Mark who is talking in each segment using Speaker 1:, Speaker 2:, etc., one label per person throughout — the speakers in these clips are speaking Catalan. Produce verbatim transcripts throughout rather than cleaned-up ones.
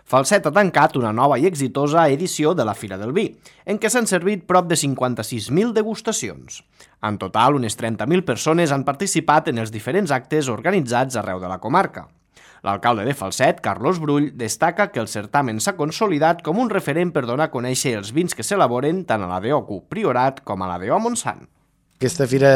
Speaker 1: Falset ha tancat una nova i exitosa edició de la Fira del Vi, en què s'han servit prop de cinquanta-sis mil degustacions. En total, unes trenta mil persones han participat en els diferents actes organitzats arreu de la comarca. L'alcalde de Falset, Carlos Brull, destaca que el certamen s'ha consolidat com un referent per donar a conèixer els vins que s'elaboren tant a la D O C U Priorat com a la D O Montsant.
Speaker 2: Aquesta Fira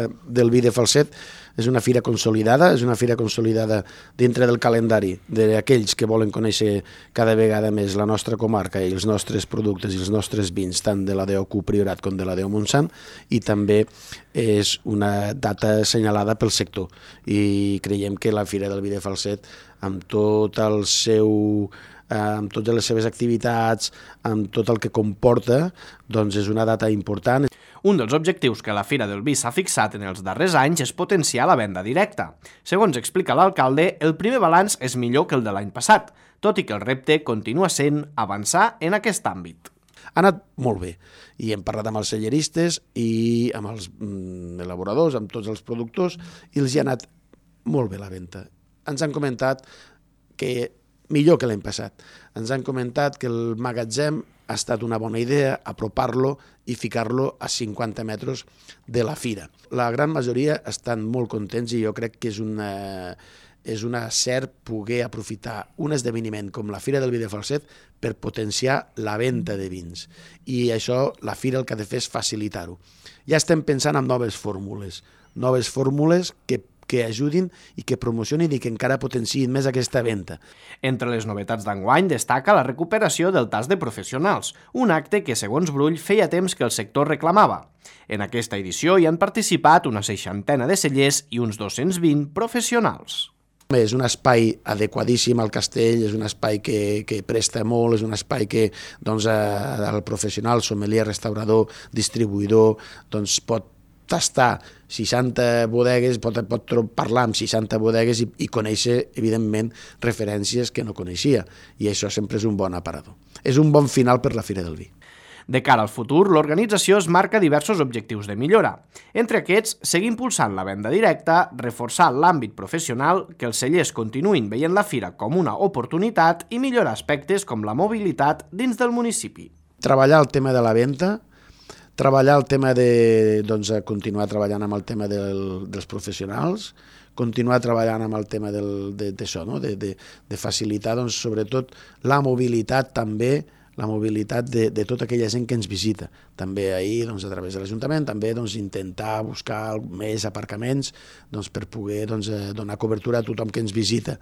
Speaker 2: del Vi de Falset és una fira consolidada, és una fira consolidada dintre del calendari d'aquells que volen conèixer cada vegada més la nostra comarca i els nostres productes i els nostres vins, tant de la D O C U Priorat com de la D O Montsant, i també és una data assenyalada pel sector. I creiem que la Fira del Vi de Falset, amb tot el seu... amb totes les seves activitats, amb tot el que comporta, doncs és una data important.
Speaker 1: Un dels objectius que la Fira del Vi s'ha fixat en els darrers anys és potenciar la venda directa. Segons explica l'alcalde, el primer balanç és millor que el de l'any passat, tot i que el repte continua sent avançar en aquest àmbit.
Speaker 2: Ha anat molt bé, i hem parlat amb els celleristes i amb els elaboradors, amb tots els productors, i els hi ha anat molt bé la venda. Ens han comentat que millor que l'any passat. Ens han comentat que el magatzem ha estat una bona idea, apropar-lo i ficar-lo a cinquanta metres de la fira. La gran majoria estan molt contents i jo crec que és una, és una cert poder aprofitar un esdeveniment com la Fira del Vi de Falset per potenciar la venda de vins. I això la fira el que ha de fer és facilitar-ho. Ja estem pensant en noves fórmules, noves fórmules que que ajudin i que promocionin i que encara potenciïn més aquesta venda.
Speaker 1: Entre les novetats d'enguany destaca la recuperació del tas de professionals, un acte que, segons Brull, feia temps que el sector reclamava. En aquesta edició hi han participat una seixantena de cellers i uns dos-cents vint professionals.
Speaker 2: És un espai adequadíssim al castell, és un espai que, que presta molt, és un espai que doncs, el professional, sommelier, restaurador, distribuïdor, doncs, pot tastar seixanta bodegues, pot, pot parlar amb seixanta bodegues i, i conèixer, evidentment, referències que no coneixia. I això sempre és un bon aparador. És un bon final per la Fira del Vi.
Speaker 1: De cara al futur, l'organització es marca diversos objectius de millora. Entre aquests, seguir impulsant la venda directa, reforçar l'àmbit professional, que els cellers continuïn veient la fira com una oportunitat i millorar aspectes com la mobilitat dins del municipi.
Speaker 2: Treballar el tema de la venda, treballar el tema de doncs, continuar treballant amb el tema del, dels professionals, continuar treballant amb el tema del, de, d'això, no? de, de, de facilitar doncs, sobretot la mobilitat també, la mobilitat de, de tota aquella gent que ens visita. També ahir, doncs, a través de l'Ajuntament, també doncs, intentar buscar més aparcaments doncs, per poder doncs, donar cobertura a tothom que ens visita.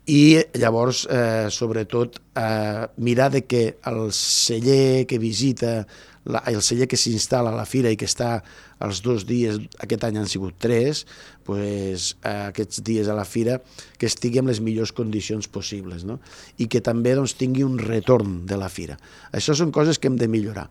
Speaker 2: I llavors, eh, sobretot, eh, mirar de que el celler que visita, la, el celler que s'instal·la a la fira i que està els dos dies, aquest any han sigut tres, pues, eh, aquests dies a la fira, que estigui en les millors condicions possibles, no? I que també doncs, tingui un retorn de la fira. Això són coses que hem de millorar.